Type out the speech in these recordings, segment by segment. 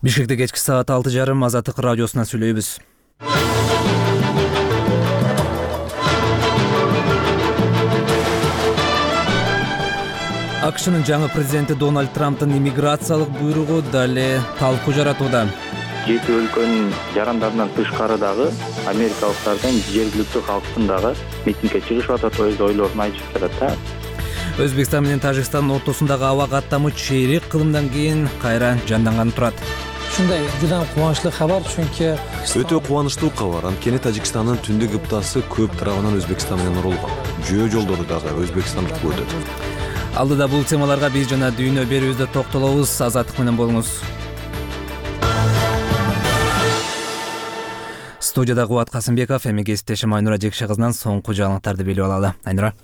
Бишкекте кечки саат 6:30 Азаттык радиосунан сүйлөйбүз. АКШнын жаңы президенти Дональд Трамптын иммиграциялык буйругу дале талкуу жаратууда. Жети өлкөнүн жарандарынан тышкары дагы америкалыктардын жергиликтүү калктын дагы митингге чыгышып атат, өз ойлорун айтышып жатат да. Өзбекстан менен Тажикстандын ортосундагы аба каттамы чейрек кылымдан кийин кайра жанданганы турат. Ушундай жудан кубанычтуу кабар, чүнкү өтө кубанычтуу кабар. Анткени Тажикстандын түндүк кыптасы көп тарабынан Өзбекстан менен урулган. Жөө жолдору дагы Өзбекстандык өтөт. Алдыда бул темаларга биз жана дүйнө берүүбүздө токтолобуз. Азаттык менен болуңуз. Студияда Кубат Касымбеков, эми кесиптешим Айнура Жекше кызынан соңку жаңылыктарды билип алалы. Айнура.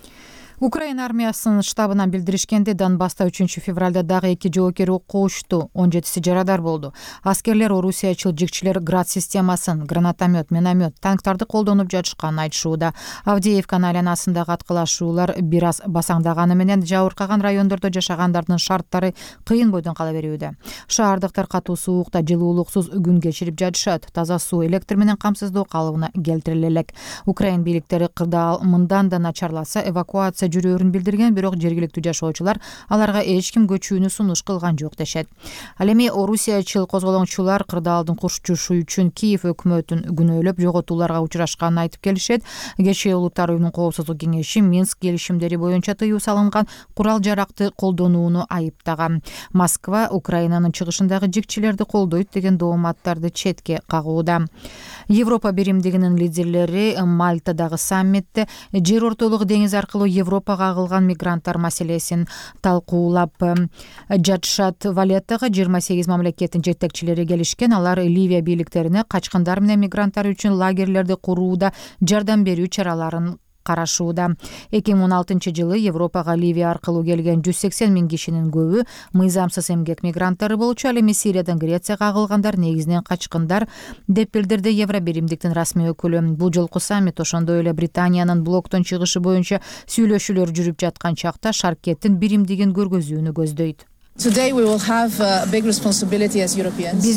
Украина армиясынын штабынан билдиришкенде, Донбасста 3 февралда дагы 2 жоокер окко учту, 17 жарадар болду. Аскерлер орусиячыл жигчилер град системасын, гранатомет, миномет, танктарды колдонуп жатышканын айтышууда. Авдеевканын айланасындагы аткылашуулар бир аз басаңдаганы менен жабыркаган райондордо жашагандардын шарттары кыйын бойдон кала берүүдө. Шаардыктар катуу суукта жылуулуксуз күн кечирип жатышат. Таза суу, электр менен камсыздоо калыбына келтириле элек. Украин бийликтери кырдаал мындан да начарласа эвакуация жүрөөрүн билдирген, бирок жергиликтүү жашоочулар аларга эч ким көчүүнү сунуш кылган жок дешет. Ал эми орусиячыл козголоңчулар кырдаалдын курчушу үчүн Киев өкмөтүн күнөөлөп, жоготууларга учурашканын айтып келишет. Кечээ Улуттар уюмунун коопсуздук кеңеши Минск келишимдери боюнча тыюу салынган курал-жаракты колдонууну айыптаган. Москва Украинанын чыгышындагы жигчилерди колдойт деген дооматтарды четке кагууда. Европа биримдигинин лидерлери Мальтадагы саммитте жер ортолук деңиз аркылуу Европага агылган мигранттар маселесин талкуулап жатышат. Валеттага 28 мамлекеттин жетекчилери келишкен. Алар Ливия бийликтерине качкындар менен мигранттар үчүн лагерлерди курууда жардам берүү чараларын карашууда. 2016 жылы Европага Ливия аркылуу келген 180 миң кишинин көбү мыйзамсыз эмгек мигранттары болчу. Ал эми Сириядан Грецияга агылгандар негизинен качкындар деп билдирди Евро биримдиктин расмий өкүлү. Бул жолку саммит ошондой эле Британиянын блоктон чыгышы боюнча сүйлөшүүлөр жүрүп жаткан чакта шаркеттин биримдигин көргөзүүнү көздөйт. Биз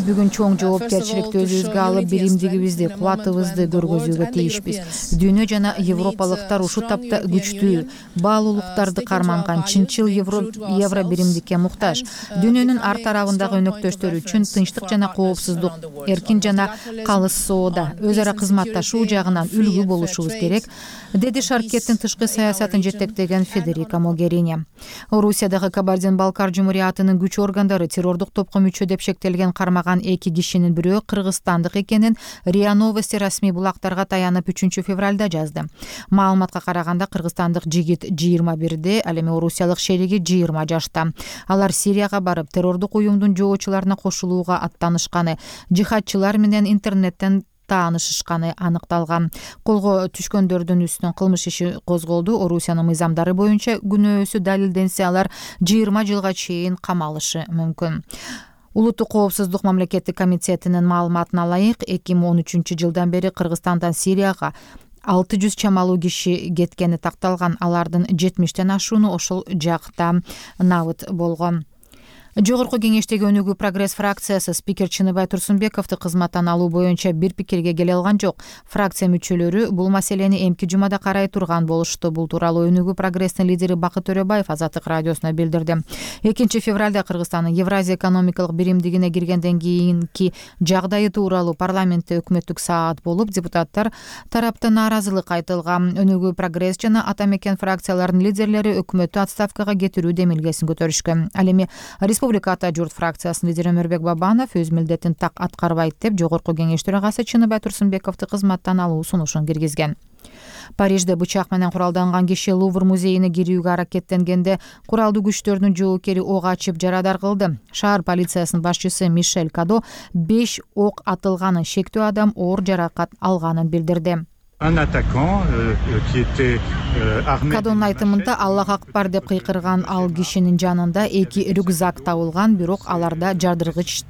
бүгүн чоң жоопкерчиликти өзүбүзгө алып, биримдигибизди, кубатыбызды көргөзүүгө тийишпиз. Дүйнө жана европалыктар ушул тапта күчтүү, баалуулуктарды карманган чынчыл евро биримдикке муктаж. Дүйнөнүн ар тарабындагы өнөктөштөр үчүн тынчтык жана коопсуздук, эркин жана калыс соода, өз ара кызматташуу жагынан үлгү болушубуз керек, деди шаркеттин тышкы саясатын жетектеген Федерика Могерини. Орусиядагы Кабардин-Балкар жумурияты күч органдары террордук топко мүчө деп шектелген кармаган 2 кишинин бирөө кыргызстандык экенин РИА Новости расмий булактарга таянып 3 февралда жазды. Маалыматка караганда кыргызстандык жигит 21-де, ал эми орусиялык шериги 20 жашта. Алар Сирияга барып, террордук уюмдун жоочуларына кошулууга аттанышканы, жихадчылар менен интернеттен таанышышканы аныкталган. Колго түшкөндөрдүн үстүнөн кылмыш иши козголду. Орусиянын мыйзамдары боюнча күнөөсү далилденсе, алар 20 жылга чейин камалышы мүмкүн. Улуттук коопсуздук мамлекеттик комитетинин маалыматына ылайык, 2013 жылдан бери Кыргызстандан Сирияга 600 чамалуу киши кеткени такталган. Алардын 70тен ашууну ошол жакта набыт болгон. Жогорку кеңештеги Өнүгүү прогресс фракциясы спикер Чыныбай Турсунбековду кызматтан алуу боюнча бир пикирге келе алган жок. Фракция мүчөлөрү бул маселени эмки жумада карай турган болушту. Бул тууралуу Өнүгүү прогресстин лидери Бакыт Төрөбаев Азаттык радиосуна билдирди. 2 февралда Кыргызстандын Евразия экономикалык биримдигине киргенден кийинки жагдайы тууралуу парламентте өкмөттүк саат болуп, депутаттар тараптан нааразылык айтылган. Өнүгүү прогресс жана Ата мекен фракцияларынын лидерлери өкмөттү отставкага кетирүү демилгесин көтөрүшкөн. Ал эми Республика Ата журт фракциясынын лидери Өмөрбек Бабанов өз милдетин так аткарбайт деп жогорку кеңеш төрагасы Чыныбай Турсунбековду кызматтан алуу сунушун киргизген. Парижде бычак менен куралданган киши Лувр музейине кирүүгө аракеттенгенде куралдуу күчтөрдүн жоокери ок ачып жарадар кылды. Шаар полициясынын башчысы Мишель Кадо 5 ок атылганын, шектүү адам оор жаракат алганын билдирди. Кадонун айтымында Аллах акбар деп кыйкырган ал кишинин жанында 2 рюкзак табылган, бирок аларда жардыргыч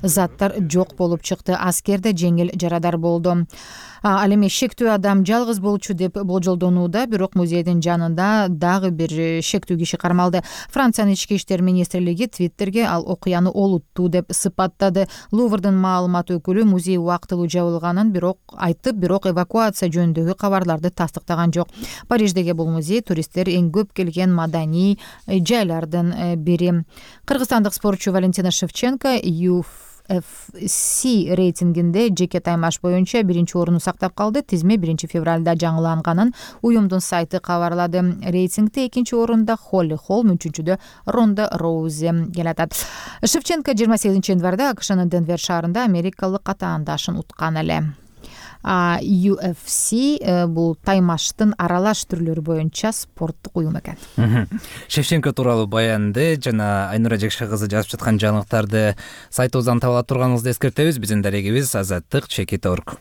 заттар жок болуп чыкты. Аскерде жеңил жарадар болду. Ал эми шектүү адам жалгыз болчу деп болжолдонууда, бирок музейдин жанында дагы бир шектүү киши кармалды. Франциянын ички иштер министрлиги Твиттерге ал окуяны олуттуу деп сыпаттады. Луврдун маалымат өкүлү музей убактылуу жабылганын бирок эвакуация жөнүндөгү кабарларды тастыктаган жок. Париждеги бул музей туристтер эң көп келген маданий жайлардын бири. Кыргызстандык спортчу Валентина Шевченко UFC рейтингинде жеке таймаш боюнча биринчи орунду сактап калды. Тизме 1-февралда жаңыланганын уюмдун сайты кабарлады. Рейтингде экинчи орунда Холли Холм, үчүнчүдө Ронда Роузи келатат. Шевченко 28 январда АКШнын Денвер шаарында америкалык катаандашын уткан эле. UFC бул таймаштын аралаш түрлөрү боюнча спорттук уюм экен. Шевченко тууралуу баянды жана Айнура Жекше кызы жазып жаткан жаңылыктарды сайтыбыздан таба ала турганыңызды эскертебиз. Биздин дарегибиз Азаттык Чекит.org.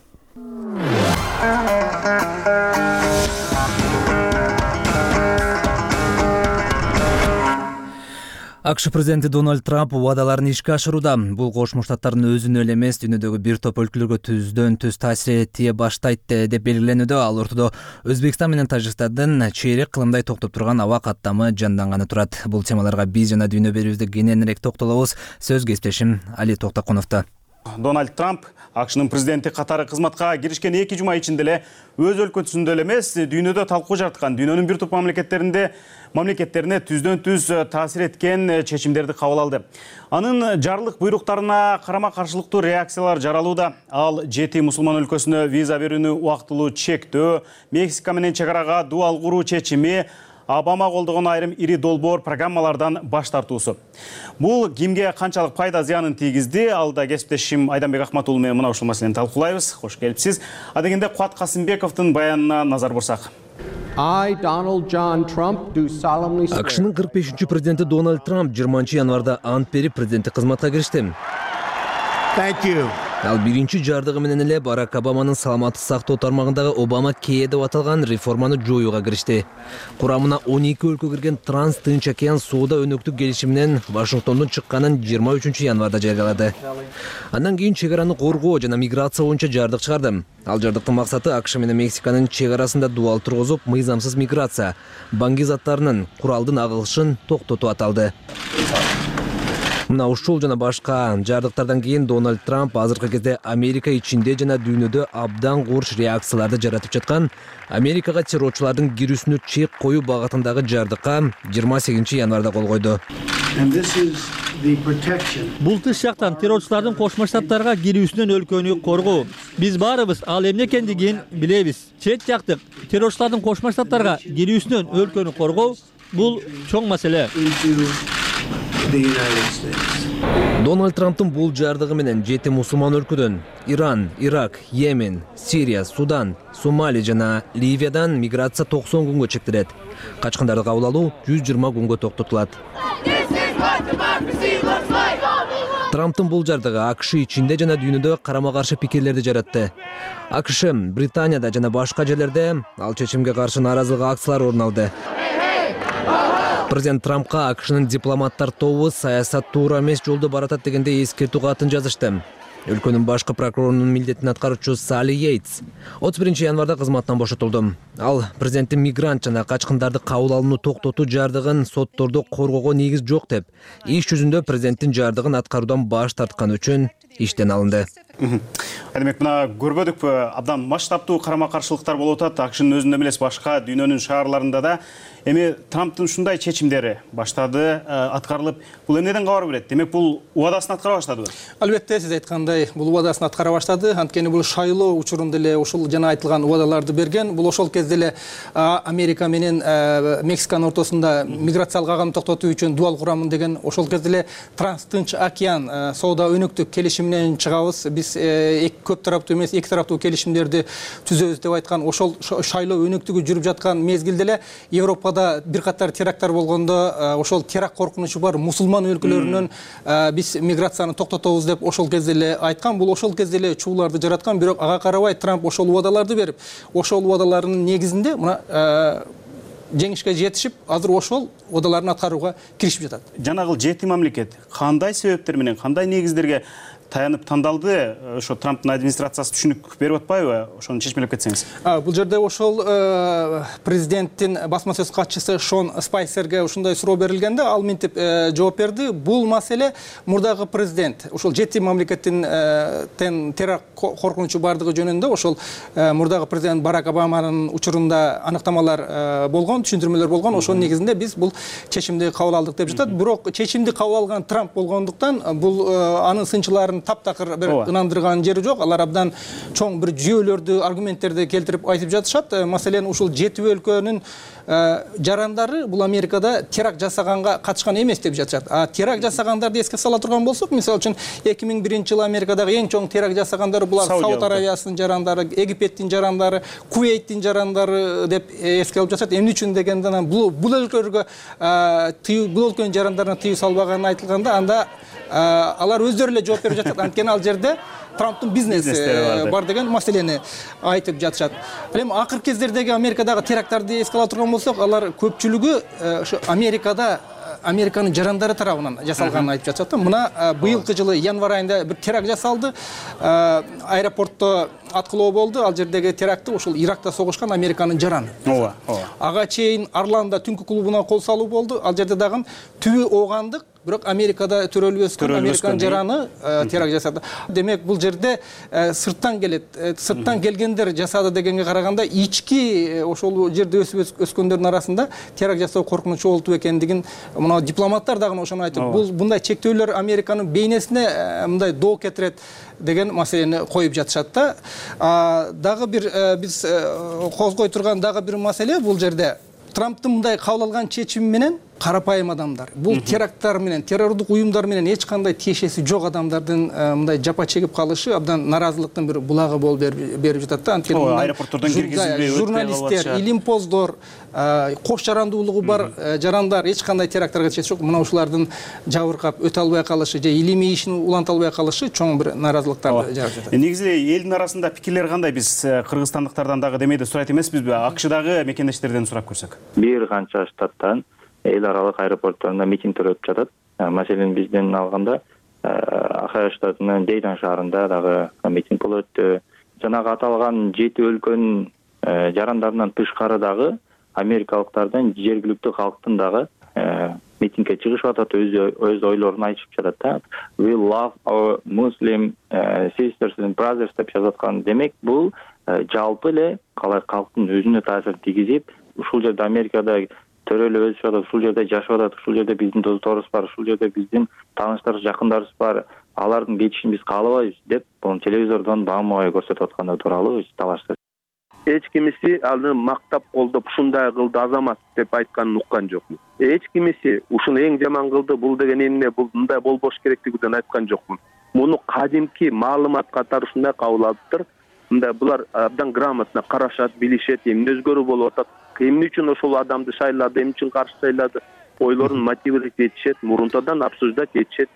АКШ президенти Дональд Трамп убадаларын ишке ашырууда. Бул Кошмо Штаттардын өзүнө эле эмес, дүйнөдөгү бир топ өлкөлөргө түздөн-түз таасир этие баштайт деп белгиленүүдө. Ал ортодо Өзбекстан менен Тажикстандын чейрек кылымдай токтоп турган аба каттамы жанданганы турат. Бул темаларга биз жана дүйнө берүүбүздө кененирээк токтолобуз. Сөз кесиптешим Али Токтоконовдо. Дональд Трамп АКШнын президенти катары кызматка киришкен 2 жума ичинде эле өз өлкөсүндө эле эмес, дүйнөдө талкуу жараткан, дүйнөнүн бир топ мамлекеттерине түздөн-түз таасир эткен чечимдерди кабыл алды. Анын жарлык буйруктарына карама-каршылыктуу реакциялар жаралууда. Ал 7 мусулман өлкөсүнө виза берүүнү убактылуу чектөө, Мексика менен чек арага дуал куруу чечими, Обама колдогон айрым ири долбоор программалардан баш тартуусу. Бул кимге канчалык пайда зыянын тийгизди? Алда кесиптешим Айданбек Акматулу менен мына ушул маселени талкуулайбыз. Кош келипсиз. Адегенде Куат Касымбековдун баянына назар бурсак. АКШнын 45-чи президенти Дональд Трамп 20 январда ант берип президенттик кызматка киришти. Ал биринчи жардыгы менен эле Барак Обаманын саламаттык сактоо тармагындагы Обама Care деп аталган реформаны жоюуга киришти. Курамына 12 өлкө кирген Транс-Тынч океан соода өнөктүк келишиминен Вашингтондон чыкканын 23 январда жарыялады. Андан кийин чек араны коргоо жана миграция боюнча жардык чыгарды. Ал жардыктын максаты АКШ менен Мексиканын чек арасында дуал тургузуп, мыйзамсыз миграция, баңги заттарынын, куралдын агылышын токтотуу аталды. Мына ушул жана башка жардыктардан кийин Дональд Трамп азыркы кезде Америка ичинде жана дүйнөдө абдан курч реакцияларды жаратып жаткан Америкага террорчулардын кирүүсүнө чек коюу багытындагы жардыкка 28 январда кол койду. Бул тыш жактан террорчулардын Кошмо Штаттарга кирүүсүнөн өлкөнү коргоо. Биз баарыбыз ал эмне экендигин билебиз. Чет жактык террорчулардын Кошмо Штаттарга кирүүсүнөн өлкөнү коргоо бул чоң маселе. Дональд Трамптын бул жардыгы менен 7 мусулман өлкөдөн Иран, Ирак, Йемен, Сирия, Судан, Сомали жана Ливиядан миграция 90 күнгө чектелет. Качкындарды кабыл алуу 120 күнгө токтотулат. Трамптын бул жардыгы АКШ ичинде жана дүйнөдө карама-каршы пикирлерди жаратты. АКШ, Британияда жана башка жерлерде ал чечимге каршы нааразылык акциялар орун алды. Президент Трампка АКШнын дипломаттар тобу саясат туура эмес жолдо баратат дегенде эскертүү катын жазышты. Өлкөнүн башкы прокурорунун милдетин аткаруучу Салли Йейтс 31 январда кызматтан бошотулду. Ал президенттин мигрант жана качкындарды кабыл алууну токтотуу жардыгын соттордо коргоого негиз жок деп, иш жүзүндө президенттин жардыгын аткаруудан баш тарткан үчүн иштен алынды. Демек, мына көрбөдүкпү, абдан масштабтуу карама-каршылыктар болуп атат. АКШнын өзүндө эмес, башка дүйнөнүн шаарларында да. Эми Трамптын ушундай чечимдери баштады, аткарылып, бул эмнеден кабар берет? Демек, бул убадасын аткара баштадыбы? Албетте, сиз айткандай, бул убадасын аткара баштады. Анткени бул шайлоо учурунда эле ушул жана айтылган убадаларды берген. Бул ошол кезде эле Америка менен Мексиканын ортосунда миграциялык агымды токтотуу үчүн дуал курамын деген, ошол кезде эле Транс-Тынч океан соода өнөктүк келишиминен чыгабыз. Биз көп тараптуу эмес, эки тараптуу келишимдерди түзөбүз деп айткан. Ошол шайлоо өнөктүгү жүрүп жаткан мезгилде эле Европада бир катар теракттар болгондо, ошол теракт коркунучу бар мусулман өлкөлөрүнөн биз миграцияны токтотобуз деп ошол кезде эле айткан. Бул ошол кезде эле чууларды жараткан, бирок ага карабай Трамп ошол убадаларды берип, ошол убадалардын негизинде мына жеңишке жетишип, азыр ошол убадаларын аткарууга киришип жатат. Жанагыл 7 мамлекет кандай себептер менен, кандай негиздерге таянып тандалды? Ошо Трамптын администрациясы түшүнүк берип атпайбы? Ошону чечмелеп кетсеңиз. Бул жерде ошол президенттин басма сөз катчысы Шон Спайсерге ушундай суроо берилгенде, ал мынтип жооп берди. Бул маселе мурдагы президент, ошол 7 мамлекеттин теракт коркунучу бардыгы жөнүндө ошол мурдагы президент Барак Обаманын учурунда аныктамалар болгон, түшүндүрмөлөр болгон. Ошонун негизинде биз бул чечимди кабыл алдык деп жатат. Бирок чечимди кабыл алган Трамп болгондуктан бул анын сынчыларын таптакыр бир ынандырган жери жок. Алар абдан чоң бир жүйөлөрдү, аргументтерди келтирип айтып жатышат. Маселен, ушул 7 өлкөнүн жарандары бул Америкада теракт жасаганга катышкан эмес деп жатышат. Теракт жасагандарды эске сала турган болсок, мисалы үчүн 2001-жылы Америкадагы эң чоң теракт жасагандары булар Сауд Аравиясынын жарандары, Египеттин жарандары, Кувейттин жарандары деп эске алып жатышат. Эмне үчүн дегенде, бул өлкөлөргө бул өлкөнүн жарандарына тыюу салбаганы айтылганда, анда алар өздөрү эле жооп берип жатат. Анткени ал жерде Трамптын бизнеси бар деген маселени айтып жатышат. Эми акыркы кездердеги Америкадагы теракттарды эске ала турган болсок, алар көпчүлүгү ошо Американын жарандары тарабынан жасалганын айтып жатышат. Мына быйылкы жылы январь айында бир теракт жасалды. Аэропортто аткылоо болду. Ал жердеги терактты ошол Иракта согушкан Американын жараны. Ага чейин Орландо түнкү клубуна кол салуу болду. Ал жерде дагы түбү оогандык, бирок Америкада төрөлүп өскөн Американ жараны теракт жасады. Демек, бул жерде сырттан келет. Сырттан келгендер жасады дегенге караганда, ички ошол жерде өсүп өскөндөрдүн арасында теракт жасоо коркунучу болуп экендигин мына дипломаттар дагы ошону айтып, бул мындай чектөөлөр Американын бейнесине мындай доо кетирет деген маселени коюп жатышат да. Дагы бир биз козгой турган дагы бир маселе бул жерде Трамптын мындай кабыл алган чечими менен карапайым адамдар, бул теракттар менен, террордук уюмдар менен эч кандай тиешеси жок адамдардын мындай жапа чегип калышы абдан наразылыктын бир булагы болуп берип жатат да. Анткени аэропорттордон киргизилбей журналисттер, илимпоздор, кош жарандуулугу бар жарандар эч кандай теракттарга тиешеси жок. Мына ушулардын жабыркап өтө албай калышы же илимий ишин уланта албай калышы чоң бир наразылыктарды жаратып жатат. Негизи элдин арасында пикирлер кандай? Биз кыргызстандыктардан дагы демейде сурайт эмеспизби? АКШдагы мекендештерден сурап көрсөк. Бир канча штаттан эл аралык аэропортторунда митингдер өтүп жатат. Маселен, бизден алганда Ахая штатынын Дейдан шаарында дагы митинг болуп өттү. Жанагы аталган 7 өлкөнүн жарандарынан тышкары дагы америкалыктардан жергиликтүү калктын дагы митингге чыгышып атат, өз ойлорун айтышып жатат да. We love our Muslim sisters and brothers деп жазаткан. Демек, бул жалпы эле калай калктын өзүнө таасир тийгизип, ушул жерде Америкада төрөлүп өсүп атат, ушул жерде жашап атат, ушул жерде биздин досторубуз бар, ушул жерде биздин тааныштарыбыз, жакындарыбыз бар, алардын кетишин биз каалабайбыз деп, бул телевизордон баамабай көрсөтүп атканы тууралуу талашты. Эч кимиси аны мактап колдоп, ушундай кылды азамат деп айтканын уккан жокмун. Эч кимиси ушуну эң жаман кылды, бул деген эмне, бул мындай болбош керектигинен айткан жокмун. Муну кадимки маалымат катары ушундай кабыл алыптыр. Мындай булар абдан грамотно карашат, билишет, эмне өзгөрүү болуп атат, эмне үчүн ошол адамды шайлады, эмне үчүн каршы шайлады, ойлорун мотивирлеп этишет, мурунтадан обсуждать этишет.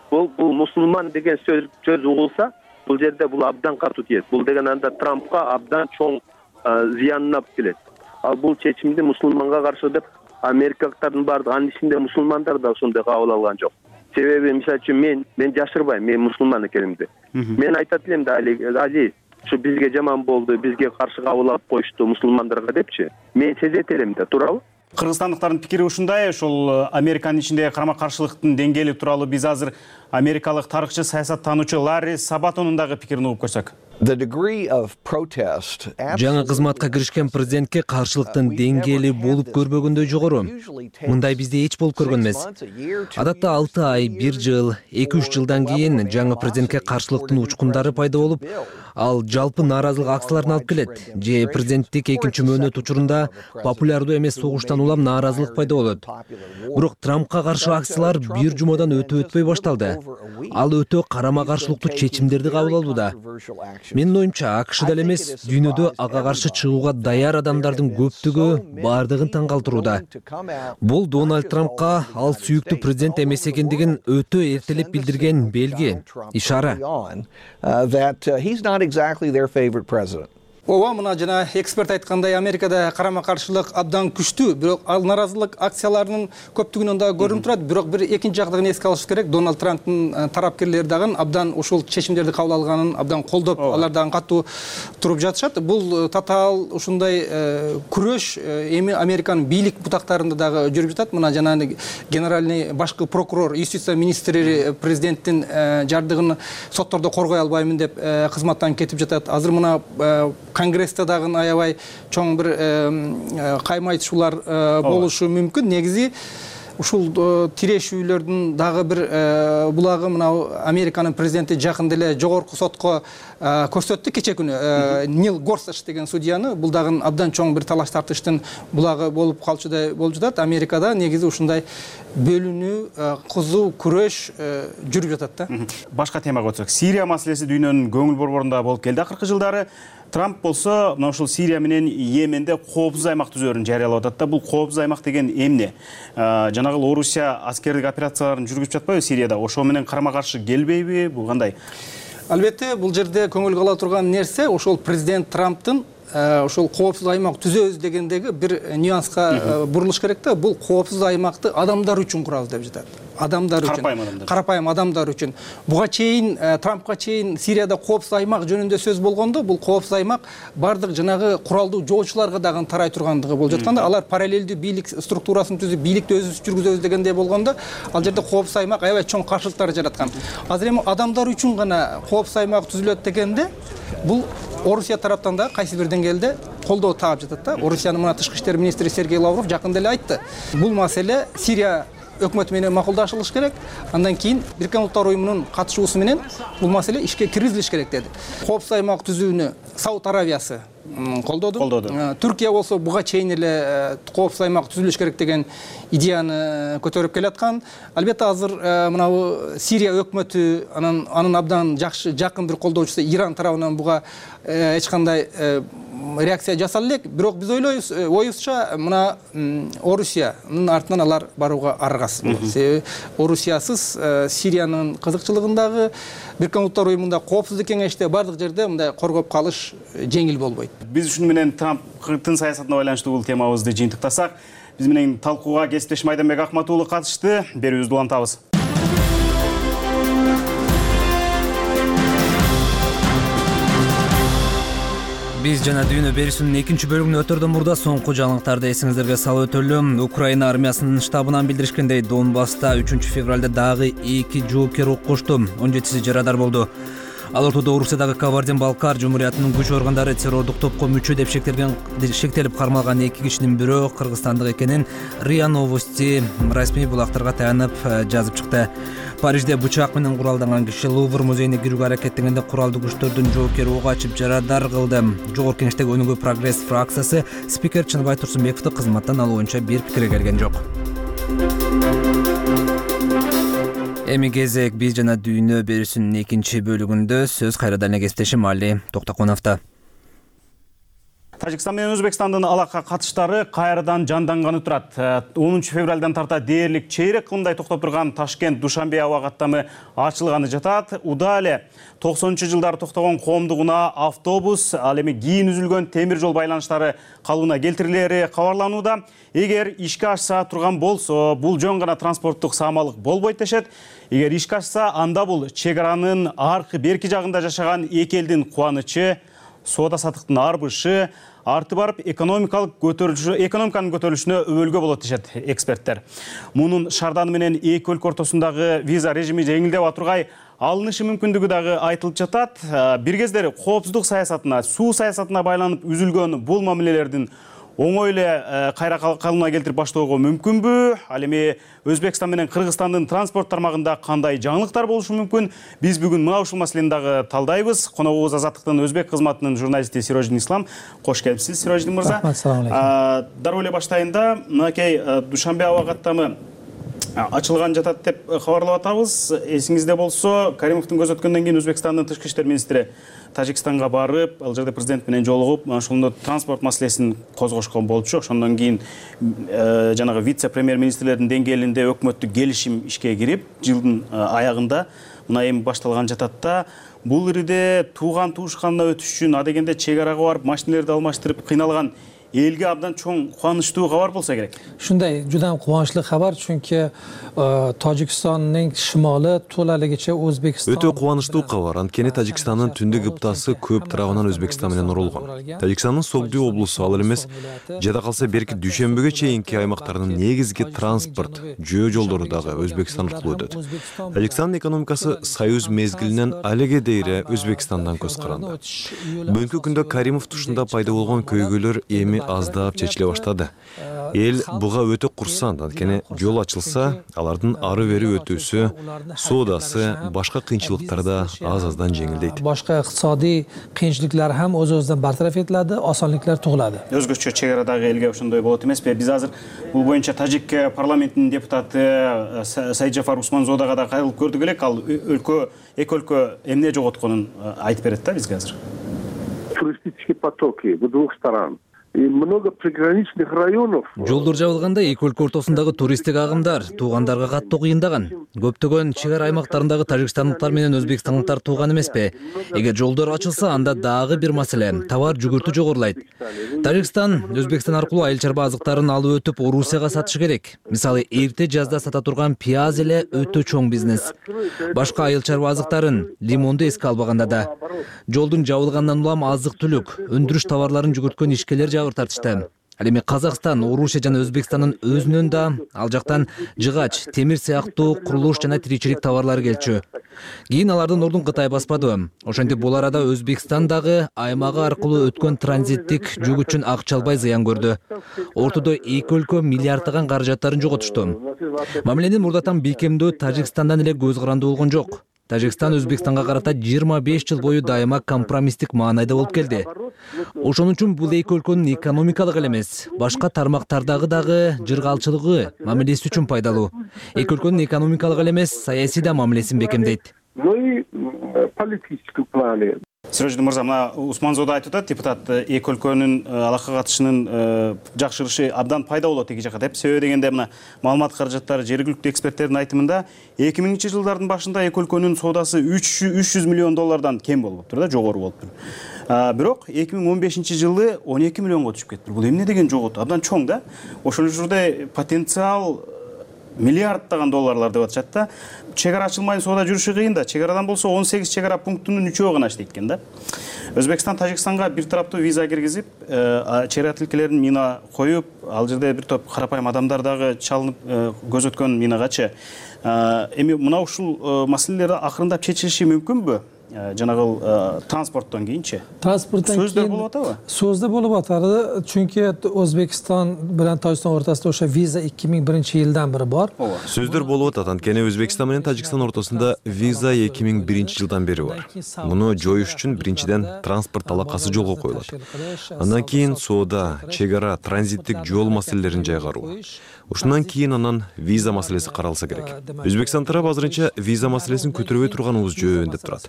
Бул мусулман деген сөз угулса, бул жерде бул абдан катуу тиет. Бул деген анда Трампка абдан чоң зыянын алып келет. Ал бул чечимди мусулманга каршы деп америкалыктардын баардыгы, анын ичинде мусулмандар да ошондой кабыл алган жок. Себеби, мисалы үчүн мен жашырбайм, мен мусулман экенимди. Мен айтат элем да, Али, ушу бизге жаман болду, бизге каршы кабыл алып коюшту мусулмандарга депчи. Мен сезет элем да, туурабы? Кыргызстандыктардын пикири ушундай. Ошол Американын ичиндеги карама-каршылыктын деңгээли тууралуу биз азыр америкалык тарыхчы, саясаттануучу Ларри Сабатонун дагы пикирин угуп көрсөк. Жаңы кызматка киришкен президентке каршылыктын деңгээли болуп көрбөгөндөй жогору. Мындай бизде эч болуп көргөн эмес. Адатта 6 ай, 1 жыл, 2-3 жылдан кийин жаңы президентке каршылыктын учкундары пайда болуп, ал жалпы нааразылык акцияларын алып келет. Же президенттик экинчи мөөнөт учурунда популярдуу эмес согуштан улам нааразылык пайда болот. Бирок Трампка каршы акциялар бир жумадан өтпөй башталды. Ал өтө карама-каршылыктуу чечимдерди кабыл алууда. Менин оюмча, АКШда эле эмес, дүйнөдө ага каршы чыгууга даяр адамдардын көптүгү бардыгын таң калтырууда. Бул Дональд Трампка ал сүйүктүү президент эмес экендигин өтө эртелеп билдирген белги, ишара. ооба, мына жана эксперт айткандай, Америкада карама каршылык абдан күчтүү, бирок ал наразылык акцияларынын көптүгүнөн да көрүнүп турат. Бирок бир экинчи жагдыгын эске алыш керек. Дональд Трамптын тарапкерлери дагы абдан ушул чечимдерди кабыл алганын абдан колдоп, алар дагы катуу туруп жатышат. Бул татаал ушундай күрөш эми Американын бийлик бутактарында дагы жүрүп жатат. Мына жана генеральный башкы прокурор, юстиция министри президенттин жардыгын соттордо коргой албаймын деп кызматтан кетип жатат. Азыр мына Конгрессте дагы аябай чоң бир каймайтышуулар болушу мүмкүн. Негизи ушул тирешүүлөрдүн дагы бир булагы мына Американын президенти жакын деле жогорку сотко көрсөттү кече күнү. Нил Горсуч деген судьяны, бул дагы абдан чоң бир талаш тартыштын булагы болуп калчудай болуп жатат. Америкада негизи ушундай бөлүнүү, кызуу күрөш жүрүп жатат да. Башка темага өтсөк, Сирия маселеси дүйнөнүн көңүл борборунда болуп келди акыркы жылдары. Трамп болсо мына ушул Сирия менен Йеменде коопсуз аймак түзөөрүн жарыялап атат да. Бул коопсуз аймак деген эмне? Жанагы Орусия аскердик операцияларын жүргүзүп жатпайбы Сирияда? Ошо менен карама каршы келбейби? Бул кандай? Албетте, бул жерде көңүл кала турган нерсе ошол президент Трамптын ошол коопсуз аймак түзөбүз дегендеги бир нюанска бурулуш керек да. Бул коопсуз аймакты адамдар үчүн курабыз деп жатат. Адамдар үчүн. Карапайым адамдар үчүн. Буга чейин, Трампка чейин Сирияда коопсуз аймак жөнүндө сөз болгондо, бул коопсуз аймак бардык жанагы куралдуу жоочуларга дагы тарай тургандыгы болуп жатканда, алар параллелдүү бийлик структурасын түзүп, бийликти өзүбүз жүргүзөбүз дегендей болгондо, ал жерде коопсуз аймак аябай чоң каршылыктар жараткан. Азыр эми адамдар үчүн гана коопсуз аймак түзүлөт дегенде, бул Орусия тараптан да кайсы бир деңгээлде колдоо таап жатат да. Орусиянын мына тышкы иштер министри Сергей Лавров жакын деле айтты. Бул маселе Сирия өкмөтү менен макулдашылыш керек. Андан кийин Бириккен Улуттар Уюмунун катышуусу менен бул маселе ишке киргизилиш керек деди. Коопсуз аймак түзүүнү Сауд Аравиясы колдоду. Түркия болсо буга чейин эле коопсуз аймак түзүлүш керек деген идеяны көтөрүп келаткан. Албетте азыр мына Сирия өкмөтү, анын абдан жакшы жакын бир колдоочусу Иран тарабынан буга эч кандай реакция жасала элек. Бирок биз ойлойбуз, оюбузча мына Орусиянын артынан алар барууга аргасыз болот. Себеби Орусиясыз Сириянын кызыкчылыгындагы Бириккен Улуттар Уюмунда коопсуздук кеңеште бардык жерде мындай коргоп калыш жеңил болбойт. Биз ушуну менен Трамптын саясатына байланыштуу бул темабызды жыйынтыктасак, биз менен талкууга кесиптешим Айданбек Акмат уулу катышты. Берүүбүздү улантабыз. Биз жана дүйнө берүүсүнүн экинчи бөлүгүнө өтөрдөн мурда соңку жаңылыктарды эсиңиздерге салып өтөлүм. Украина армиясынын штабынан билдиришкендей, Донбасста 3-февралда дагы 2 жоокер окушту. 17 жарадар болду. Ал ортодо Орусиядагы Кабардин-Балкар жумуриятынын күч органдары террордук топко мүчө деп шектелип кармалган 2 кишинин бирөө кыргызстандык экенин РИА Новости расмий булактарга таянып жазып чыкты. Парижде бычак менен куралданган киши Лувр музейине кирүүгө аракеттенгенде куралдуу күчтөрдүн жоокери ок ачып жарадар кылды. Жогорку кеңештеги Өнүгүү Прогресс фракциясы спикер Чыныбай Турсунбековду кызматтан алуу боюнча бир пикирге келген жок. Эми кезек биз жана дүйнө берүүсүнүн экинчи бөлүгүндө сөз кайрадан эле кесиптешим Али Токтоконовдо. Тажикстан менен Өзбекстандын алака катыштары кайрадан жанданганы турат. 10 февралдан тарта дээрлик чейрек кылымдай токтоп турган Ташкент-Душанбе аба каттамы ачылганы жатат. Уда эле 90-жылдары токтогон коомдугуна автобус, ал эми кийин үзүлгөн темир жол байланыштары калыбына келтирилери кабарланууда. Эгер ишке ашса турган болсо, бул жөн гана транспорттук саамалык болбойт дешет. Эгер ишке ашса, анда бул чек аранын аркы берки жагында жашаган эки элдин кубанычы, соода саттыктын арбышы, арты барып экономиканын көтөрүлүшүнө өбөлгө болот дешет эксперттер. Мунун шарданы менен эки өлкө ортосундагы виза режими жеңилдеп атургай алынышы мүмкүндүгү дагы айтылып жатат. Бир кездери коопсуздук саясатына, суу саясатына байланып үзүлгөн бул мамилелердин оңой эле кайра калыбына келтирип баштоого мүмкүнбү? Ал эми Өзбекстан менен Кыргызстандын транспорт тармагында кандай жаңылыктар болушу мүмкүн? Биз бүгүн мына ушул маселени дагы талдайбыз. Коногубуз Азаттыктын өзбек кызматынын журналисти Сирождин Ислам. Кош келипсиз, Сирождин мырза. Ассалам алейкум. Дароо эле баштайында, мынакей Душанбе аба каттамы ачылган жатат деп кабарлап атабыз. Эсиңизде болсо, Каримовдун көз өткөндөн кийин Өзбекстандын тышкы иштер министри Тажикстанга барып, ал жерде президент менен жолугуп, ошондо транспорт маселесин козгошкон болчу. Ошондон кийин жанагы вице-премьер министрлердин деңгээлинде өкмөттүк келишим ишке кирип, жылдын аягында мына эми башталган жатат да. Бул ириде тууган туушканына өтүш үчүн адегенде чек арага барып машиналерди алмаштырып кыйналган элге абдан чоң кубанычтуу кабар болсо керек. Shunday juda ham quvonchli xabar, chunki Tojikistonning shimoli to'laligicha O'zbekiston. Өтө кубанычтуу кабар. Анткени Тажикстандын түндүк кыптасы көп тарабынан Өзбекстан менен урулган. Тажикстандын Согду облусу ал эмес, жада калса берки дүйшөмбүгө чейинки аймактарынын негизги транспорт жөө жолдору дагы Өзбекстан аркылуу өтөт. Тажикстандын экономикасы союз мезгилинен алеге дейре Өзбекстандан көз каранды. Бүгүнкү күндө Каримов тушунда пайда болгон көйгөйлөр эми аздап чечиле баштады. Эл буга өтө курсант, анткени жол ачылса, алардын ары бери өтүүсү, соодасы, башка кыйынчылыктар да аз-аздан жеңилдейт. Башка икtisodiy кыйынчылыктар ham o'z-o'zidan bartaraf etiladi, osonliklar tug'iladi. Өзгөчө чек арадагы элге ошондой болот эмеспи? Биз азыр бул боюнча тажик парламентинин депутаты Сайджафар Усманзодага да кайрылып көрдүк элек. Ал эки өлкө эмне жоготконун айтып берет да бизге азыр. Туристические потоки в двух сторонах. Много приграничных районов. Жолдор жабылганда эки өлкө ортосундагы туристтик агымдар туугандарга катуу кыйындаган. Көптөгөн чек ара аймактарындагы тажикстандыктар менен өзбекстандыктар тууган эмеспи. Эгер жолдор ачылса, анда дагы бир маселе, товар жүгүртүү жогорулайт. Тажикстан Өзбекстан аркылуу айыл чарба азыктарын алып өтүп Орусияга сатышы керек. Мисалы, эрте жазда сата турган пияз эле өтө чоң бизнес. Башка айыл чарба азыктарын, лимонду эске албаганда да. Жолдун жабылгандан улам азык-түлүк, өндүрүш товарларын жүгүрткөн ишкерлер жабыр тартышты. Ал эми Казакстан, Орусия жана Өзбекстандын өзүнөн да ал жактан жыгач, темир сыяктуу курулуш жана тиричилик товарлары келчү. Кийин алардын ордун Кытай баспады. Ошентип бул арада Өзбекстан дагы аймагы аркылуу өткөн транзиттик жүк үчүн акча албай зыян көрдү. Ортодо эки өлкө миллиарддаган каражаттарын жоготушту. Мамиленин мурдатан бейкемдөө Тажикстандан эле көз каранды болгон жок. Тажикстан Өзбекстанга карата 25 жыл бою дайыма компромисстик маанайда болуп келди. Ошон үчүн бул эки өлкөнүн экономикалык эле эмес, башка тармактардагы дагы жыргалчылыгы, мамилеси үчүн пайдалуу. Эки өлкөнүн экономикалык эле эмес, саясий да мамилесин бекемдейт. Ну и политическом плане. Сироджидин мырза, мына Усманзода айтып атат, депутат эки өлкөнүн алакка катышынын жакшырышы абдан пайда болот эки жака деп. Себеби дегенде мына маалымат каражаттары жергиликтүү эксперттердин айтымында 2000-жылдардын башында эки өлкөнүн соодасы 300 миллион доллардан кем болуптур да, жогору болуптур. Бирок 2015-жылы 12 миллионго түшүп кетти. Бул эмне деген жогот? Абдан чоң да. Ошол жерде потенциал миллиарддаган долларлар деп атышат да. Чек ара ачылмай соода жүрүшү кыйын да. Чек арадан болсо 18 чек ара пунктунун 3-өө гана иштейт экен да. Өзбекстан Тажикстанга бир тараптуу виза киргизип, чек ара тилкелерин мина коюп, ал жерде бир топ карапайым адамдар дагы чалынып көз өткөн минагачы. Эми мына ушул маселелер акырындап чечилиши мүмкүнбү? Жанагыл транспорттон кийинчи. Транспорттон кийин сөздөр болуп атабы? Сөздөр болуп атады, чүнки Өзбекстан менен Тажикстан ортосунда ошо виза 2001-жылдан бери бар. Сөздөр болуп атат, анткени Өзбекстан менен Тажикстан ортосунда виза 2001-жылдан бери бар. Муну жоюш үчүн биринчиден транспорт алакасы жолго коюлат. Андан кийин соода, чек ара, транзиттик жол маселелерин жайгаруу. Ушундан кийин анан виза маселеси каралса керек. Өзбекстан тарабы азырынча виза маселесин көтөрбөй турганыбыз жөн деп турат.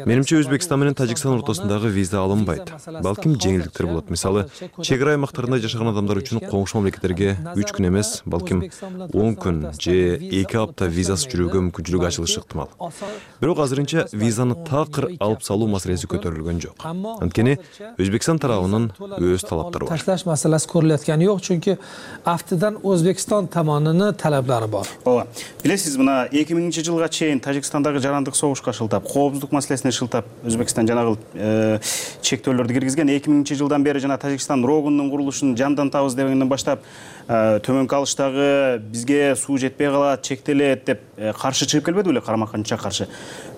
Менимче Өзбекстан менен Тажикстан ортосундагы виза алынбайт. Балким жеңилдиктер болот. Мисалы, чек ара аймактарында жашаган адамдар үчүн коңшу мамлекеттерге 3 күн эмес, балким 10 күн же 2 апта визасыз жүрүүгө мүмкүнчүлүк ачылышы ыктымал. Бирок азырынча визаны такыр алып салуу маселеси көтөрүлгөн жок. Анткени Өзбекстан тарабынын өз талаптары бар. Ташлаш маселеси көрүлөткөн жок, чүнки автодан Өзбекстан тамонунун талаптары бар. Ооба. Билесиз, мына 2000-жылга чейин Тажикстандагы жарандык согушка шылтап, коопсуздук маселесине шылтап Өзбекстан жанагыл чектөөлөрдү киргизген. 2000-жылдан бери жана Тажикстан рогунун курулушун жандантабыз дегенден баштап төмөнкү алыштагы бизге суу жетпей калат, чектелет деп каршы чыгып келбеди беле, карама-каршы каршы.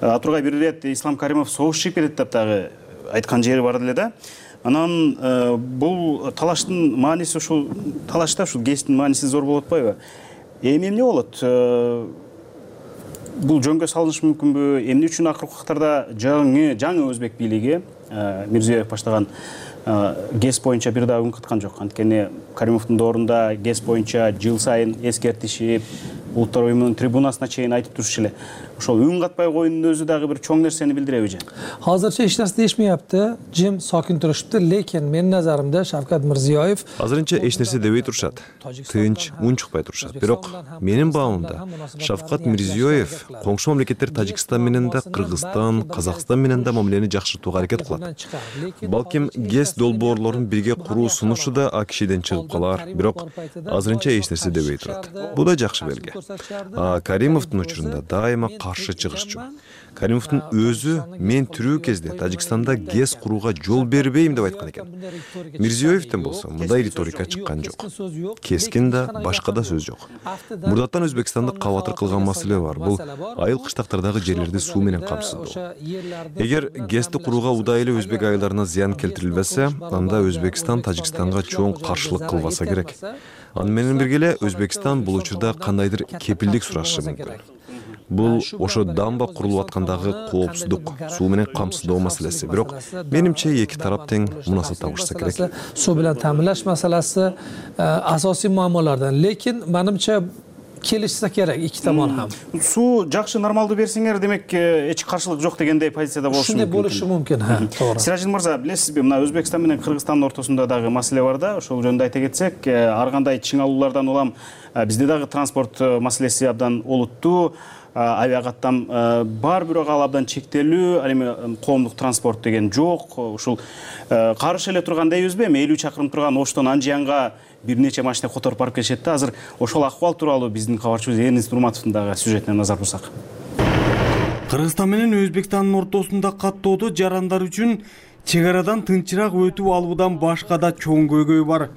Атургай бир ирет Ислам Каримов согуш чыгып кетет деп дагы айткан жери бар эле да. Анан бул талаштын мааниси, ушул талашта ушул кесиптин мааниси зор болуп атпайбы? Эмне болот? Бул жөнгө салынышы мүмкүнбү? Эмне үчүн акыркы убактарда жаңы өзбек бийлиги Мирзиёев баштаган ГЭС боюнча бир дагы үн кыткан жок. Анткени Каримовдун доорунда ГЭС боюнча жыл сайын эскертишип, Улуттар уюмунун трибунасына чейин айтып турчу эле. Ошол үн катпай коюунун өзү дагы бир чоң нерсени билдиреби же? Азырча эч нерсе değişmeyapti. Jim sakin turishibdi, lekin mening nazarimda Shavkat Mirziyoyev азырынча эч нерсе дебей турушат. Тынч, үн чыкпай турушат. Бирок менин баамымда Шавкат Мирзиёев коңшу мамлекеттер Тажикстан менен да, Кыргызстан, Казакстан менен да мамилени жакшыртууга аракет кылат. Балким ГЭС долбоорлорун бирге куруу сунушу да АКШден чыгып калар. Бирок азырынча эч нерсе дебей турат. Бул да жакшы белги. Каримовдун учурунда дайыма каршы чыгышчу. Каримовдун өзү мен тирүү кезде Тажикстанда ГЭС курууга жол бербейм деп айткан экен. Мирзиёевден болсо мындай риторика чыккан жок. Кескин да, башка да сөз жок. Мурдаттан Өзбекстанды кабатыр кылган маселе бар. Бул айыл кыштактардагы жерлерди суу менен камсыздоо. Эгер ГЭСти курууга удайлы өзбек айылдарына зыян келтирилбесе, анда Өзбекстан Тажикстанга чоң каршылык кылбаса керек. Аны менен бирге эле Өзбекстан бул учурда кандайдыр кепилдик сурашы мүмкүн. Бул ошо дамба курулуп аткандагы коопсуздук, суу менен камсыздоо маселеси. Бирок менимче эки тарап тең мунасат табышса керек. Суу менен ta'minlash masalasi asosiy muammolardan, lekin menimcha kelishsa kerak ikki tomon ham. Суу жакшы нормалдуу берсеңер, демек эч каршылык жок дегендей позицияда болушу мүмкүн. Ушундай болушу мүмкүн, туура. Сиражин мырза, билесизби, мына Өзбекстан менен Кыргызстандын ортосунда дагы маселе бар да, ошол жөнүндө айта кетсек, ар кандай чыңалуулардан улам бизде дагы транспорт маселеси абдан олуттуу. Авиакаттам бар, бирок ал абдан чектелүү, ал эми коомдук транспорт деген жок. Ушул карыш эле турган дейбизби, 50 чакырым турган Оштон Анжиянга бир нече машина которуп барып келишет да. Азыр ошол акыбал тууралуу биздин кабарчыбыз Эрнис Нурматовдун дагы сюжетине назар бурсак. Кыргызстан менен Өзбекстандын ортосунда каттоодо жарандар үчүн чек арадан тынчыраак өтүп алуудан башка да чоң көйгөй бар.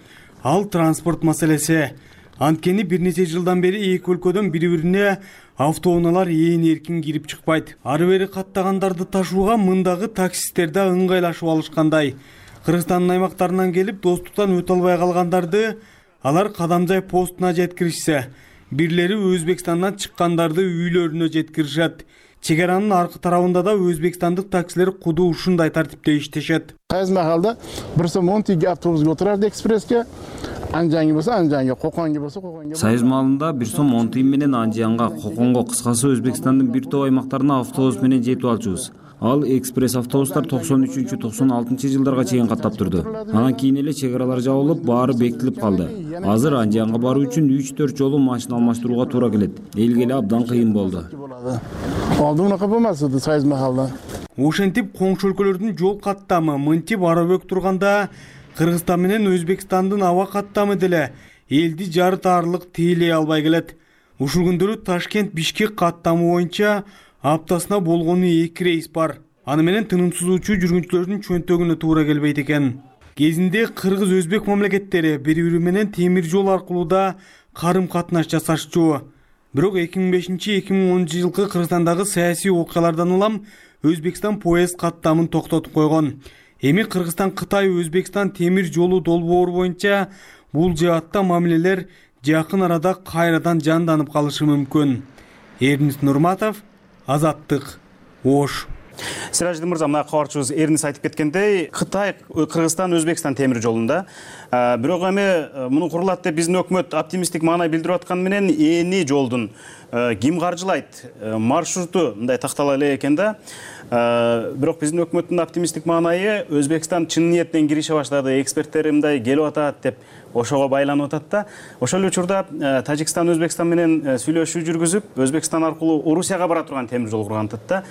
Ал транспорт маселеси. Анткени бир нече жылдан бери эки өлкөдөн бири-бирине автоунаалар эркин кирип чыкпайт. Ары бери каттагандарды ташууга мындагы таксисттер да ыңгайлашып алышкандай. Кыргызстандын аймактарынан келип достуктан өтө албай калгандарды алар Кадамжай постуна жеткиришсе, бирлери Өзбекстандан чыккандарды үйлөрүнө жеткиришет. Чек аранын аркы тарабында да өзбекстандык таксилер куду ушундай тартипте иштешет. Кайсы маалда бир сом 10 тиги автобусга отурарды экспресске, Анжанга болсо Анжанга, Коконго болсо Коконго. Союз маалында бир сом 10 тиги менен Анжанга, Коконго, кыскасы Өзбекстандын бир топ аймактарына автобус менен жетип алчубуз. Ал экспресс автобустар 93-96 жылдарга чейин каттап турду. Анан кийин эле чек аралар жабылып, баары бекитилип калды. Азыр Анжанга баруу үчүн 3-4 жолу машина алмаштырууга туура келет. Элге эле абдан кыйын болду. Алдыгына капамасызды Союз маалда. Ошентип коңшу өлкөлөрдүн жол каттамы мынтип арабөк турганда, Кыргызстан менен Өзбекстандын аба каттамы деле элди жарытаарлык тейлей албай келет. Ушул күндөрү Ташкент-Бишкек каттамы боюнча аптасына болгону 2 рейс бар. Аны менен тынымсыз учуу жүргүнчүлөрдүн чөнтөгүнө туура келбейт экен. Кезинде Кыргыз-Өзбек мамлекеттери бири-бири менен темир жол аркылуу да карым-катнаш жасашчу. Бирок 2005-2010 жылкы Кыргызстандагы саясий окуялардан улам Өзбекстан поезд каттамын токтотуп койгон. Эми Кыргызстан-Кытай Өзбекстан темир жолу долбоору боюнча бул жаатта мамилелер жакын арада кайрадан жанданып калышы мүмкүн. Эрнис Нурматов, Азаттык, Ош. Сиражидин мырза, мына кабарчыбыз Эрнис айтып кеткендей, Кытай, Кыргызстан, Өзбекстан темир жолунда. Бирок эми муну курулат деп биздин өкмөт оптимисттик маанай билдирип атканы менен эни жолдун ким каржылайт, маршруту мындай тактала элек экен да. Бирок биздин өкмөттүн оптимисттик маанайы Өзбекстан чын ниеттен кирише баштады, эксперттер мындай келип атат деп ошого байланып атат да. Ошол эле учурда Тажикстан Өзбекстан менен сүйлөшүү жүргүзүп, Өзбекстан аркылуу Орусияга бара турган темир жол курган да.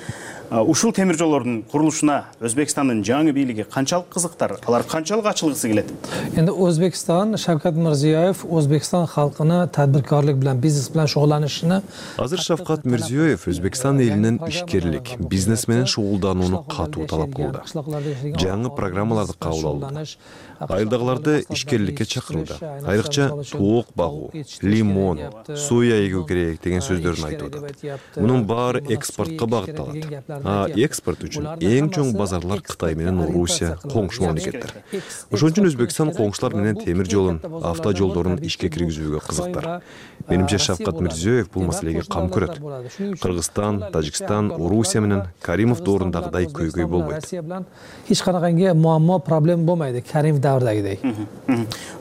Ушул темир жолдордун курулушуна Өзбекстандын жаңы бийлиги канчалык кызыктар, алар канчалык ачылгысы келет? Endi O'zbekiston, Shavkat Mirziyoyev O'zbekiston xalqini tadbirkorlik bilan, biznes bilan shug'ullanishini. Азыр Шавкат Мирзиёев Өзбекстан элинен ишкерлик, бизнес менен шугулданууну катуу талап кылды. Жаңы программаларды кабыл алды. Айылдагыларды ишкерликке чакырды. Айрыкча тоок багуу, лимон, соя эгүү керек деген сөздөрүн айтып атат. Мунун баары экспортко багытталат. Экспорт экспорт үчүн эң чоң базарлар Кытай менен Орусия коңшу мамлекеттер. Ошон үчүн Өзбекстан коңшулар менен темир жолун, автожолдорун ишке киргизүүгө кызыктар. Менимче Шавкат Мирзиёев бул маселеге кам көрөт. Кыргызстан, Тажикстан, Орусия менен Каримов доорундагыдай көйгөй болбойт. Эч канакайга муаммо, проблема болмойт Каримов даврдагыдай.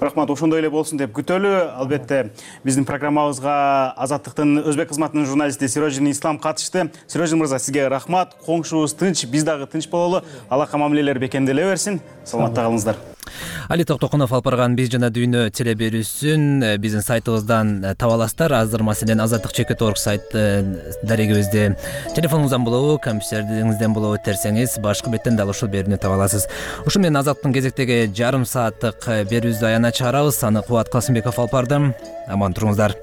Рахмат, ошондой эле болсун деп күтөлү. Албетте биздин программабызга Азаттыктын өзбек кызматынын журналисти Сирожин Ислам катышты. Сирожин мырза, сизге рахмат. Коңшубуз тынч, биз дагы тынч бололу. Алака мамилелер бекемделе берсин. Саламатта калыңыздар. Али Токтокунов алып барган Биз жана дүйнө телеберүүсүн биздин сайтыбыздан таба аласыздар. Азыр маселен Азаттык.org сайт дарегибизде телефонуңуздан болобу, компьютериңизден болобу терсеңиз башкы беттен дал ушул берүүнү таба аласыз. Ушул менен Азаттыктын кезектеги жарым сааттык берүүбүздү аягына чыгарабыз. Аны Кубат Касымбеков алып барды. Аман туруңуздар.